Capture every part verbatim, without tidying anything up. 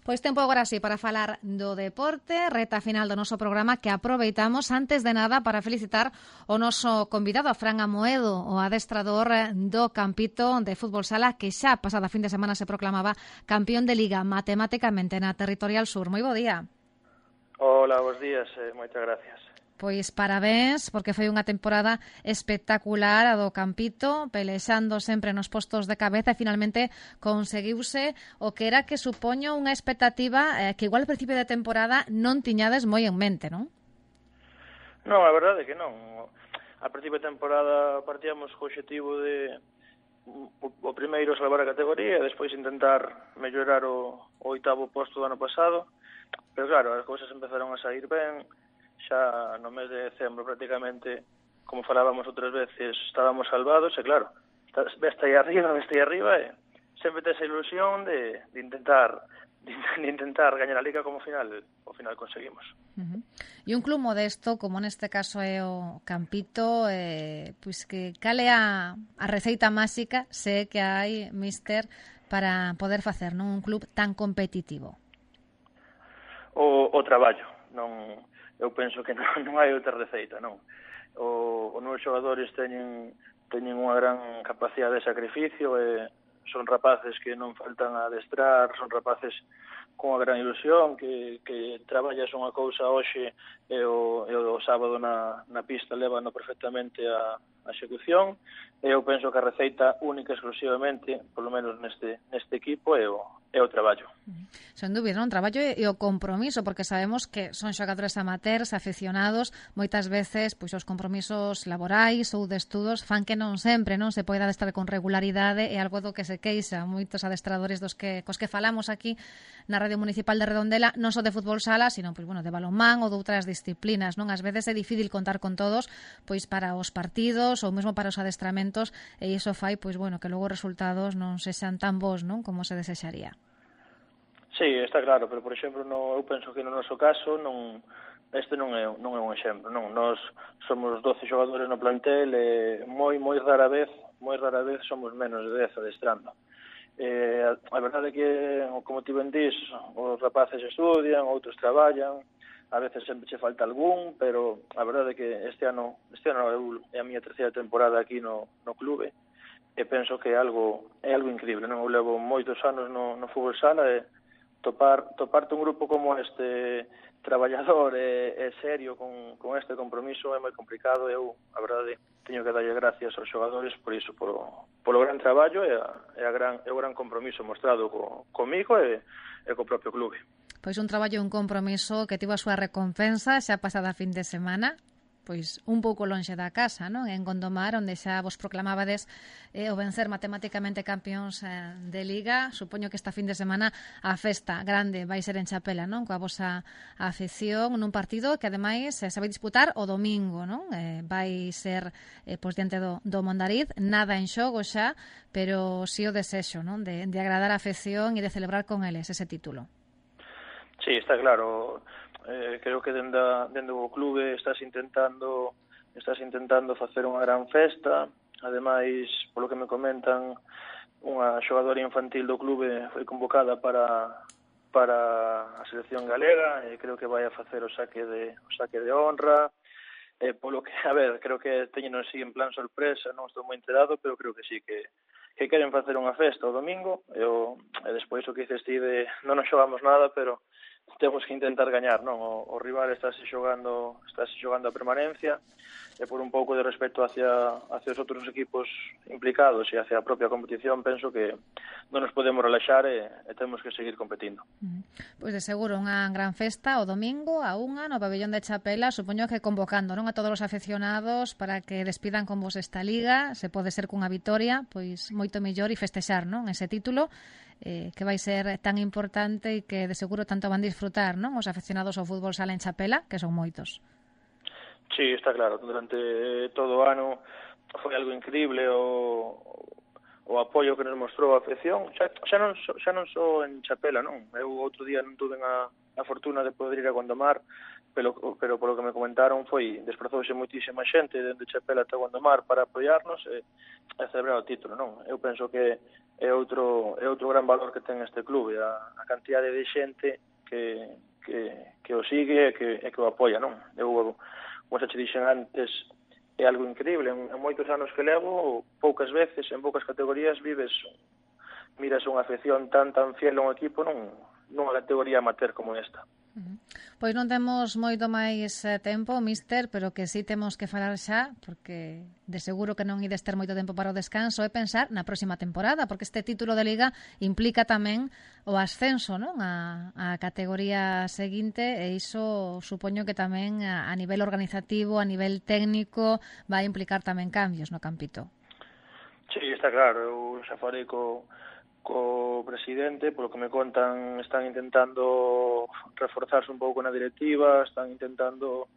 Pois tempo agora sí para falar do deporte, reta final do noso programa que aproveitamos antes de nada para felicitar o noso convidado, a Fran Amoedo, o adestrador do Campito de Fútbol Sala, que xa pasada fin de semana se proclamaba campeón de Liga matemáticamente na Territorial Sur. Moi bo día. Hola, bons días, eh, moitas gracias. Pois parabéns, porque foi unha temporada espectacular a do Campito, pelexando sempre nos postos de cabeza e finalmente conseguiuse o que era que supoño unha expectativa eh, que igual ao principio de temporada non tiñades moi en mente, non? Non, a verdade é que non. A principio de temporada partíamos co objetivo de o, o primeiro salvar a categoría e despois intentar mellorar o, o oitavo posto do ano pasado, pero claro, as cousas empezaron a sair ben. Xa no mes de decembro prácticamente, como falábamos outras veces, estábamos salvados e claro, veste aí arriba, veste aí arriba e sempre tes a ilusión de, de intentar de, de intentar gañar a Liga como final, ao final conseguimos. Uh-huh. E un club modesto, como neste caso é o Campito, eh, pois que cale a, a receita máxica, sé que hai, mister, para poder facer, non, un club tan competitivo. O, o traballo, non... Eu penso que non, non hai outra receita, non. O, os meus xogadores teñen, teñen unha gran capacidade de sacrificio e son rapaces que non faltan a adestrar, son rapaces con unha gran ilusión, que, que traballas unha cousa hoxe e o, e o sábado na, na pista levano perfectamente a, a execución. E eu penso que a receita única exclusivamente, polo menos neste, neste equipo, é o, é o traballo. Sen dúbida, non? Traballo e o compromiso, porque sabemos que son xogadores amateurs, aficionados, moitas veces pois os compromisos laborais ou de estudos fan que non sempre non se poida adestrar con regularidade, e algo do que se queixa moitos adestradores dos que cos que falamos aquí na Radio Municipal de Redondela, non só de fútbol sala, sino pois bueno, de balonmán ou de outras disciplinas, non? Ás veces é difícil contar con todos pois para os partidos ou mesmo para os adestramentos, e iso fai pois bueno, que logo os resultados non sexan tan bons, non, como se desexaría. Sí, está claro, pero por exemplo, no, eu penso que no noso caso non este non é non é un exemplo, non. Nós somos doce xogadores no plantel e moi moi rara vez, moi rara vez somos menos de dez adestrando. Eh, a, a verdade é que, como ti ben dís, os rapaces estudian, outros traballan, a veces sempre che falta algún, pero a verdade é que este ano, este ano eu, é a miña terceira temporada aquí no, no clube e penso que é algo é algo increíble, non? Eu levo moitos anos no, no fútbol sala e topar toparte un grupo como este traballador e, e serio con, con este compromiso é moi complicado. Eu, a verdade, teño que darlle gracias aos xogadores por iso, por, polo gran traballo e, a, e, a gran, e o gran compromiso mostrado co, comigo e, e co propio clube. Pois un traballo e un compromiso que tivo a súa recompensa xa pasada fin de semana, pois un pouco lonxe da casa, non? En Gondomar, onde xa vos proclamabades eh, o vencer matemáticamente campións eh, de Liga. Supoño que esta fin de semana a festa grande vai ser en Chapela, non? Coa vosa afección nun partido que ademais eh, se vai disputar o domingo, non? Eh, vai ser eh, pois diante do, do Mondariz, nada en xogo xa, pero si o desexo, non? De, de agradar a afección e de celebrar con eles ese título. Sí, está claro. Eh, creo que dende, dende o clube estás intentando estás intentando facer unha gran festa. Ademais, polo que me comentan, unha xogadora infantil do clube foi convocada para para a selección galega e creo que vai a facer o saque de o saque de honra. Eh, polo que, a ver, creo que teñen así en plan sorpresa, non estou moi enterado, pero creo que sí que que queren facer unha festa o domingo e, o, e despois o que dices ti de non nos xogamos nada, pero temos que intentar gañar, non? O, o rival estáse xogando, estáse xogando a permanencia e por un pouco de respeto hacia, hacia os outros equipos implicados e hacia a propia competición, penso que non nos podemos relaxar e, e temos que seguir competindo. Uh-huh. Pois de seguro unha gran festa o domingo a unha no pabellón de Chapela, supoño que convocando, non, a todos os afeccionados para que despidan con vos esta liga, se pode ser cunha vitoria, pois moito mellor e festexar, non, ese título eh, que vai ser tan importante e que de seguro tanto van disfrutar, non, os afeccionados ao fútbol sala en Chapela, que son moitos. Sí, está claro, durante todo o ano foi algo increíble o, o apoio que nos mostrou a afección, xa, xa, non, xa non só en Chapela, non? Eu outro día non tuve a, a fortuna de poder ir a Gondomar, pero, pero polo que me comentaron foi desprazouse moitísima xente dende Chapela ata Gondomar para apoiarnos e, e celebrar o título, non? Eu penso que é outro é outro gran valor que ten este clube, a, a cantidade de xente que, que, que o sigue e que, e que o apoia, non? Eu, como xa te dixen antes, é algo increíble, en, en moitos anos que levo, poucas veces, en poucas categorías vives, miras unha afección tan tan fiel a un equipo nun, nunha categoría amateur como esta. Pois non temos moito máis tempo, mister, pero que sí temos que falar xa, porque de seguro que non ides ter moito tempo para o descanso, é pensar na próxima temporada, porque este título de Liga implica tamén o ascenso, non? A, a categoría seguinte, e iso supoño que tamén a, a nivel organizativo, a nivel técnico, vai implicar tamén cambios no campito. Sí, está claro, eu xa falei co co presidente, polo que me contan, están intentando reforzarse un pouco na directiva, están intentando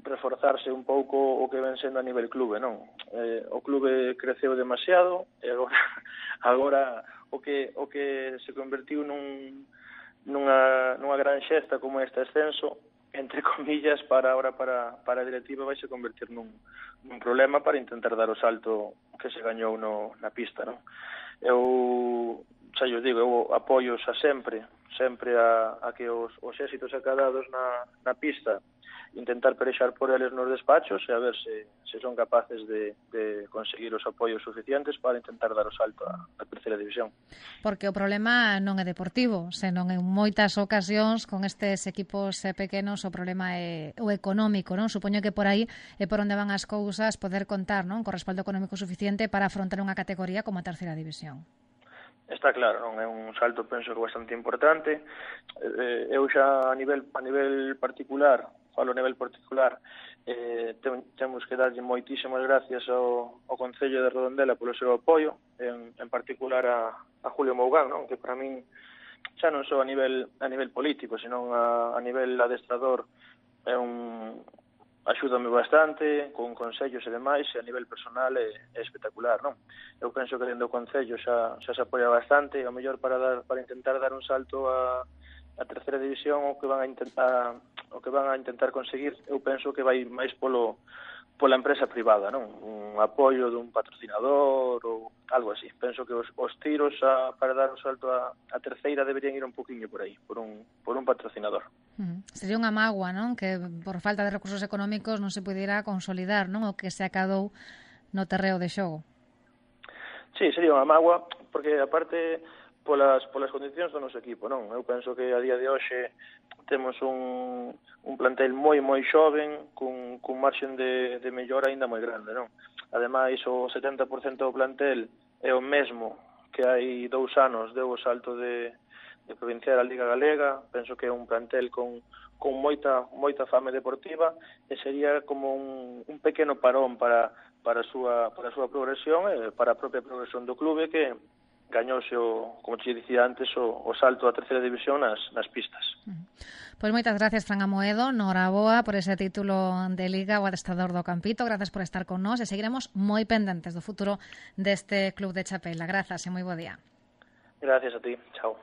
reforzarse un pouco o que ven sendo a nivel clube, non? Eh, o clube creceu demasiado e agora agora o que o que se convertiu nun nunha nunha gran xesta como este ascenso, entre comillas, para ahora para para a directiva vai se convertir nun nun problema para intentar dar o salto que se gañou no na pista, non? Eu, xa eu digo, eu apoio xa sempre, sempre a, a que os, os éxitos acadados na, na pista intentar perexar por eles nos despachos e a ver se, se son capaces de, de conseguir os apoios suficientes para intentar dar o salto a, a terceira división. Porque o problema non é deportivo, senón en moitas ocasións con estes equipos pequenos o problema é o económico, non? Supoño que por aí é por onde van as cousas, poder contar, non? Con respaldo económico suficiente para afrontar unha categoría como a terceira división. Está claro, non é un salto, penso que bastante importante. Eh, eu xa a nivel a nivel particular, falo a nivel particular, eh, tem, temos que darlle moitísimas gracias ao, ao Concello de Redondela polo seu apoio, en, en particular a, a Julio Mougán, non? Que para min xa non só a nivel a nivel político, senón a, a nivel adestrador é un axúdame bastante con consellos e demais, e a nivel personal é, é espectacular, non? Eu penso que dentro do Concello xa, xa se apoia bastante, a mellor para dar para intentar dar un salto a, a terceira división, o que van a intentar o que van a intentar conseguir, eu penso que vai máis polo pola empresa privada, non? Un apoio dun patrocinador ou algo así. Penso que os, os tiros a, para dar un salto a, a terceira deberían ir un poquinho por aí, por un, por un patrocinador. Mm. Sería unha mágoa, non? Que por falta de recursos económicos non se pudiera consolidar, non? O que se acadou no terreo de xogo. Sí, sería unha mágoa, porque aparte polas polas condicións do noso equipo, non? Eu penso que a día de hoxe temos un, un plantel moi moi xoven, cun, cun marxen de, de mellora aínda moi grande, non? Ademais, o setenta por cento do plantel é o mesmo que hai dous anos deu o salto de, de provincial a Liga Galega. Penso que é un plantel con, con moita moita fame deportiva e sería como un, un pequeno parón para para a súa para a súa progresión e para a propia progresión do clube, que gañouse, o, como te dicía antes, o, o salto a terceira división nas, nas pistas. Pois moitas gracias, Fran Amoedo, noraboa por ese título de Liga, o adestrador do Campito. Grazas por estar con nós e seguiremos moi pendentes do futuro deste club de Chapela. Grazas e moi bo día. Gracias a ti. Chao.